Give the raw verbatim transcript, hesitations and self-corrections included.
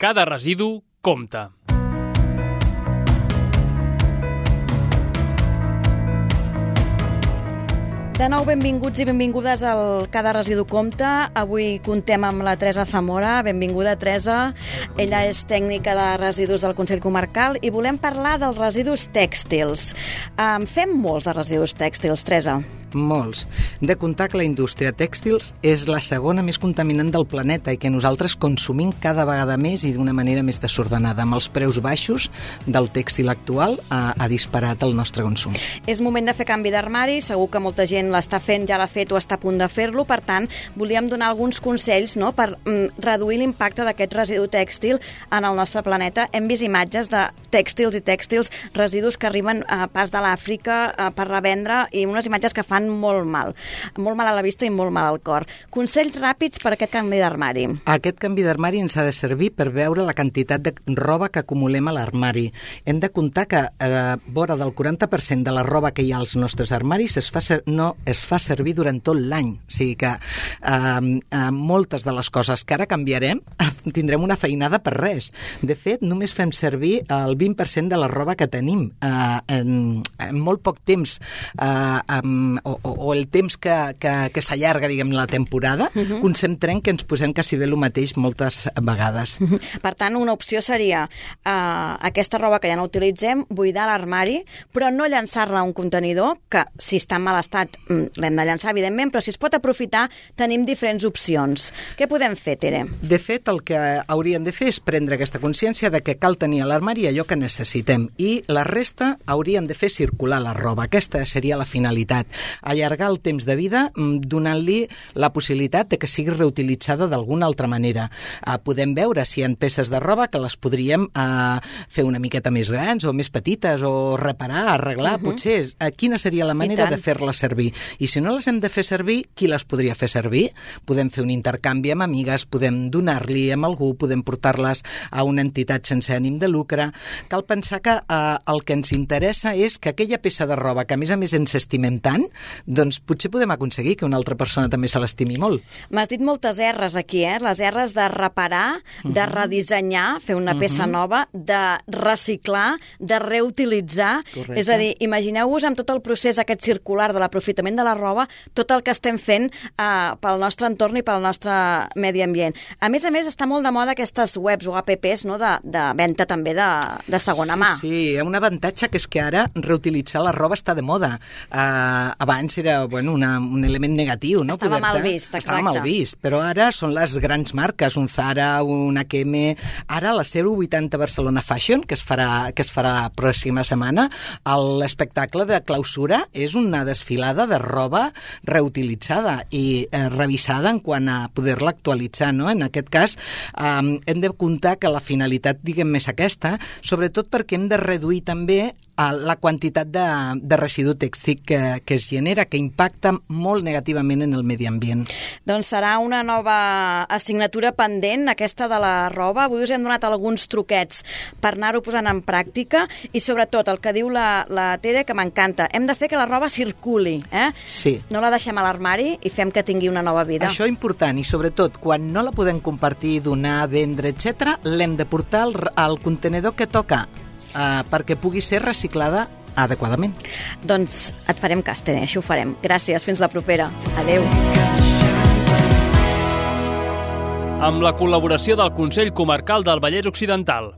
Cada residu compta. De nou, benvinguts i benvingudes al Cada Residu Compta. Avui contem amb la Teresa Zamora. Benvinguda, Teresa. Ella és tècnica de residus del Consell Comarcal i volem parlar dels residus tèxtils. En fem molts de residus tèxtils, Teresa? Molts. De comptar que la indústria tèxtils és la segona més contaminant del planeta i que nosaltres consumim cada vegada més i d'una manera més desordenada. Amb els preus baixos del tèxtil actual ha, ha disparat el nostre consum. És moment de fer canvi d'armari, segur que molta gent l'està fent, ja l'ha fet o està a punt de fer-lo, per tant, volíem donar alguns consells, no?, per mm, reduir l'impacte d'aquest residu tèxtil en el nostre planeta. Hem vist imatges de tèxtils i tèxtils, residus que arriben a pas de l'Àfrica eh, per revendre i unes imatges que fan molt mal. Molt mal a la vista i molt mal al cor. Consells ràpids per a aquest canvi d'armari. Aquest canvi d'armari ens ha de servir per veure la quantitat de roba que acumulem a l'armari. Hem de comptar que eh, vora del quaranta per cent de la roba que hi ha als nostres armaris es fa ser, no es fa servir durant tot l'any. O sigui que eh, eh, moltes de les coses que ara canviarem tindrem una feinada per res. De fet, només fem servir el vint per cent de la roba que tenim eh, en, en molt poc temps. Eh, amb, O, o, o el temps que, que, que s'allarga, diguem, la temporada, uh-huh. concentrem que ens posem quasi bé el mateix moltes vegades. Uh-huh. Per tant, una opció seria uh, aquesta roba que ja no utilitzem, buidar l'armari, però no llançar-la a un contenidor, que si està en mal estat l'hem de llançar, evidentment, però si es pot aprofitar, tenim diferents opcions. Què podem fer, Tere? De fet, el que hauríem de fer és prendre aquesta consciència de que cal tenir a l'armari allò que necessitem i la resta hauríem de fer circular la roba. Aquesta seria la finalitat. Allargar el temps de vida donant-li la possibilitat de que sigui reutilitzada d'alguna altra manera. Uh, podem veure si hi ha peces de roba que les podríem uh, fer una miqueta més grans o més petites o reparar, arreglar, uh-huh. potser. Uh, quina seria la manera de fer-les servir? I si no les hem de fer servir, qui les podria fer servir? Podem fer un intercanvi amb amigues, podem donar-li amb algú, podem portar-les a una entitat sense ànim de lucre. Cal pensar que uh, el que ens interessa és que aquella peça de roba que a més a més ens estimem tant, doncs potser podem aconseguir que una altra persona també se l'estimi molt. M'has dit moltes erres aquí, eh? Les erres de reparar, uh-huh. de redissenyar, fer una peça uh-huh. nova, de reciclar, de reutilitzar. Correcte. És a dir, imagineu-vos amb tot el procés aquest circular de l'aprofitament de la roba, tot el que estem fent eh, pel nostre entorn i pel nostre medi ambient. A més a més, està molt de moda aquestes webs o apps, no?, de, de venda també de, de segona sí, mà. Sí, hi ha un avantatge que és que ara reutilitzar la roba està de moda. Uh, abans era bueno, una, un element negatiu, no? Estava Poder-te... mal vist, exacte. Estava mal vist, però ara són les grans marques, un Zara, un H and M. Ara la zero vuitanta Barcelona Fashion, que es farà, que es farà la pròxima setmana, l'espectacle de clausura és una desfilada de roba reutilitzada i eh, revisada en quant a poder-la actualitzar, no? En aquest cas, eh, hem de comptar que la finalitat, diguem, és aquesta, sobretot perquè hem de reduir també la quantitat de, de residu tèxtil que, que es genera, que impacta molt negativament en el medi ambient. Doncs serà una nova assignatura pendent, aquesta de la roba. Avui us hem donat alguns truquets per anar-ho posant en pràctica i sobretot el que diu la, la Tere, que m'encanta, hem de fer que la roba circuli, eh? Sí. No la deixem a l'armari i fem que tingui una nova vida. Això és important i sobretot quan no la podem compartir, donar, vendre, etcètera, l'hem de portar al, al contenedor que toca, Uh, perquè pugui ser reciclada adequadament. Doncs et farem cas, Tere, així ho farem. Gràcies, fins la propera. Adéu. Amb la col·laboració del Consell Comarcal del Vallès Occidental.